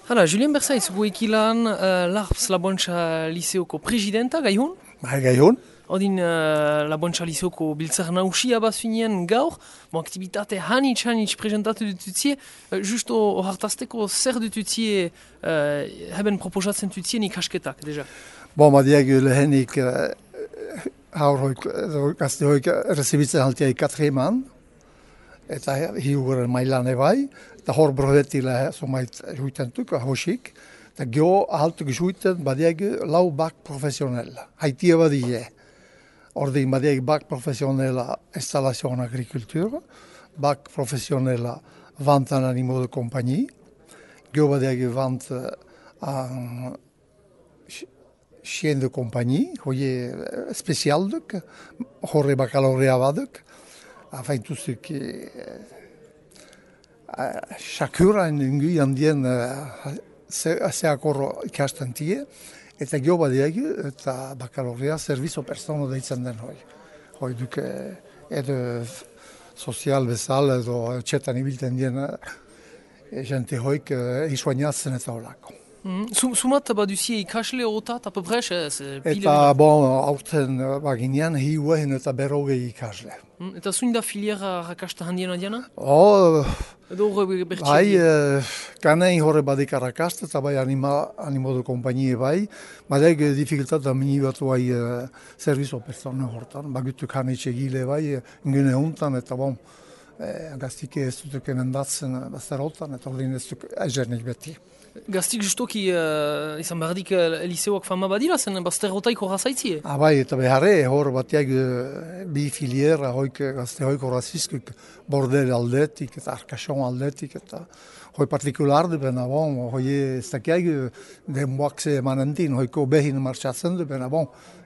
Hala, Julien Berzaiz, guekilan Larps Labontxa Liseoko presidenta, gaihun? Gaihun. Odin Labontxa Liseoko biltzar nausia bazuinen gaur, aktivitate hanitz presentatu dututzie, justo hartazteko zer dututzie heben proposatzen dutzien ikasketak, deja? Madiak lehenik haurhoik, gaztehoik rezibitzen haltia ikatreman, eta hiuguren mailan ebai, eta hor brohetila somait juitentuk, hosik, eta geho ahaltuk juiten badiak lau bak profesionella, haitia badie. Ordin badiak bak profesionella installazione agricultura, bak profesionella vant an animaux de compagnie, geho badiak vant chien de compagnie, hoie specialduk, horre baccalaurea baduk, enfin tout ce qui chakura ingi handien zeakor ikasten tie, eta geho badiak eta baccalaurea servizo persono deitzen den hoi. Hoi duk edo sozial bezala edo txetan ibilten dien jente hoik isoainatzen eta holako. Sumat baduzie ikasle otat, apopres? Eta aurten baginean hiuehen eta berrogei ikasle. Eta zuin da filiera rakasta handiena diana? Edo horre bertxe? Bai, kanein horre badik rakasta, eta bai animo de kompainie bai, badek dificultat da mini bat bai servizo persona hortan, bagutu kanetxe gile bai, ingene hontan, eta gaztike ez dutuk emendatzen basterotan, eta ordin ez duk ezernik beti. Gaztik justoki izan berdik liseoak fama badira, zen bazterrotaik horra zaitzie? Bai, eta beharre, hor batiak bi filiera hoik gazte hoik horrazizkuk bordel aldetik eta arkason aldetik eta hoi partikular du bena hoi ez dakiak denboak ze emanentin, hoiko behin martxatzen du bena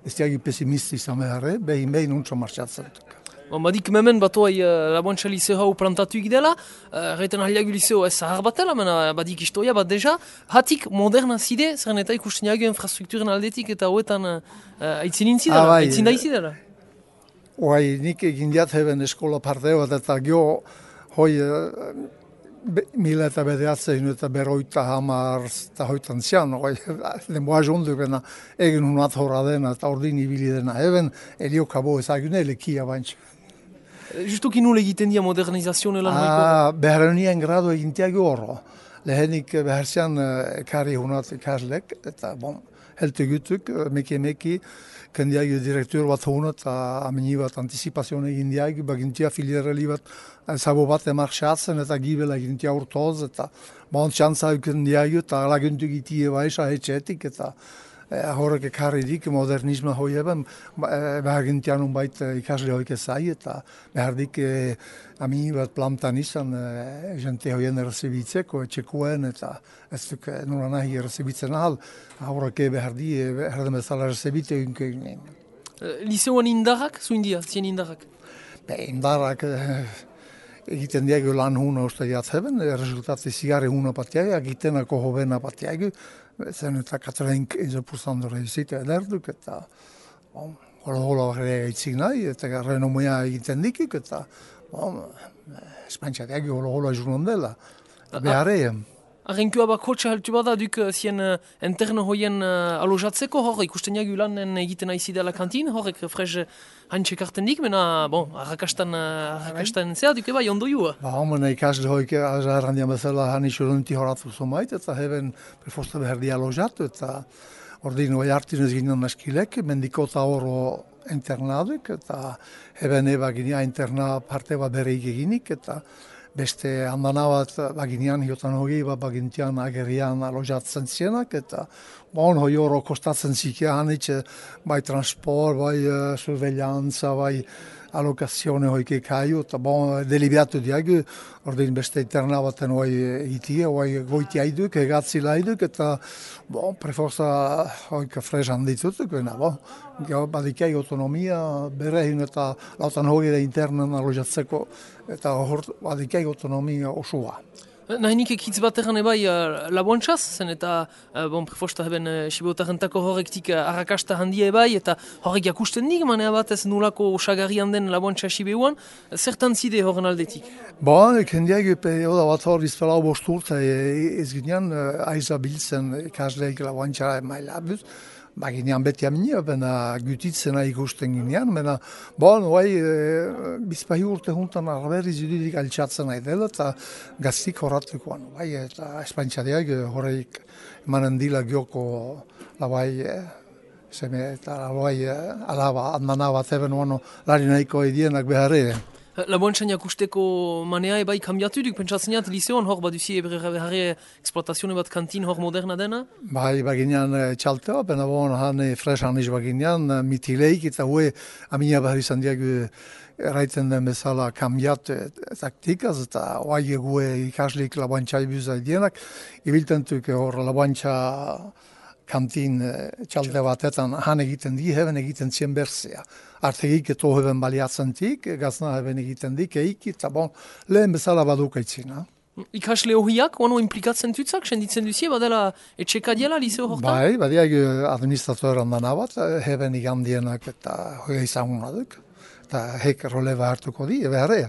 ez dakiak pesimisti izan beharre, behin untso martxatzen du. Badik memen batoai Labontxa Liseo hau plantatu ikdela, reiten ahliagu Liseo ez zahar batela, mena badik istoia bat deja, hatik moderna zide, zeren eta ikusten jagu infrastrukturen aldetik eta hoetan aitzin intzidela, aitzin da izidela. Hoi, nik egin diat heben eskola parte bat eta geho hoi 1900 eta berroita hamar eta hoitan zian, hoi, denboa jondu bena egin hunat horra dena eta ordin ibili dena, heben eliokabo ezagune lekia bantx. Justuki nule egiten dia modernizazioa lan hoiko? Beharrenien grado egintiak horro. Lehenik beharzian kari hunat ikaslek, eta helte gutuk, meki, kendiak direktur bat hunat, amini bat antizipazioa egin diak, bagintia filiereli bat, zabo bat emarxatzen, eta gibela egintia urtoz, eta txantza euken diak, eta laguntuk itie baixa etxetik, eta horrek ekarri dik modernismo hoi eben, behar gintian unbait ikasle hoik ezai, eta behar dik amini bat plantan izan jente hoien errezibitzeko, etxekoen, eta ez duk nura nahi errezibitzen ahal, horrek behar di, behar den bezala errezibite egin. Liseoan indarrak, zuin dia, zien indarrak? Indarrak egiten diago lan huna uste jatzeben, resultatzi zigarri huna patiago, egitenako hobena patiago, zen eta 95% reizite ederduk, eta hola egitzik nahi, eta renomoia egiten dikik, eta espantxateak hola juron dela, beharrean. Arrenkua bakotxa haltu bada duk zien interno hoien alojatzeko, hor ikusten jagu lanen egiten aizidela kantin, horrek frez hantxe karten dik, mena, arrakastan zea duk eba jondo jua. Mena ikasle hoik errandian bezala hanitxurunti horatu zomait, eta heben prefosta beherdi alojatu, eta ordin hoi hartinez ginen eskilek, mendikota horro internaduk, eta heben eba ginia interna parte bat bereik eginik, eta beste handana bat baginean hiotan hogei bat bagintian agerian alojatzen zienak, eta hoi horro kostatzen zikia hanitxe, bai transport, bai surveillantza, bai alokazione hoik ekaiu, eta deliberatu diagu, ordin beste interna baten hoi egitie, hoi goiti haiduk, egatzi laiduk, eta preforza hoik frez handitutuk, badikai autonomia berehin eta lautan hogei da internen alojatzeko, eta hor badikai autonomia osua. Nahinik ekitz bat egan ebai laboantxaz, zen eta prefosta heben sibeotarentako horrektik arrakasta handia ebai, eta horrek jakusten dik, manea bat ez nulako osagarrian den laboantxa sibeuan, zertan zide horren aldetik? Kendiak oda bat hor bizpela bosturta ez ginean aiza biltzen ikasleik laboantxa maila abuz. Ginean beti aminia, bena gutitzena ikusten ginean, bena, bizpahi urte juntan arberiz judidik altxatzen nahi dela, eta gaztik horratukoan, eta espantxadiak horreik emanen dila gioko eta alaba, admana bat eben lari nahiko edienak beharre. Laboantxan jakusteko manea ebai kambiatu duk, pentsatzen jat, liseoan hor baduzi beharre eksploatazione bat kantin hor moderna dena? Baginean txaltea, bena han fresan iz baginean, mitileik eta hue aminia behar izan diagu erraiten den bezala kambiat taktikaz, eta hoai gue ikaslik laboantxai buzai dienak, ibiltentuk hor laboantxa kantin txalde batetan han egiten di, heben egiten zien berzea. Artegik eto heben baliatzentik, gazna heben egiten dik, eta lehen bezala badukaitzina. Ikasle hohiak, ono implikatzen tutzak, senditzen duzie, badela etxekadiela liseo hortan? Badiak administratoran dana bat, heben igandienak eta hoia izan duk, eta hek roleba hartuko di, beharrea.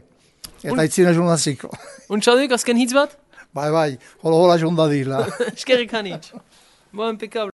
Eta itzina jurnaziko. Untxaduk, azken hitz bat? Hola jondadila. Eskerrik hanitz. Impecable.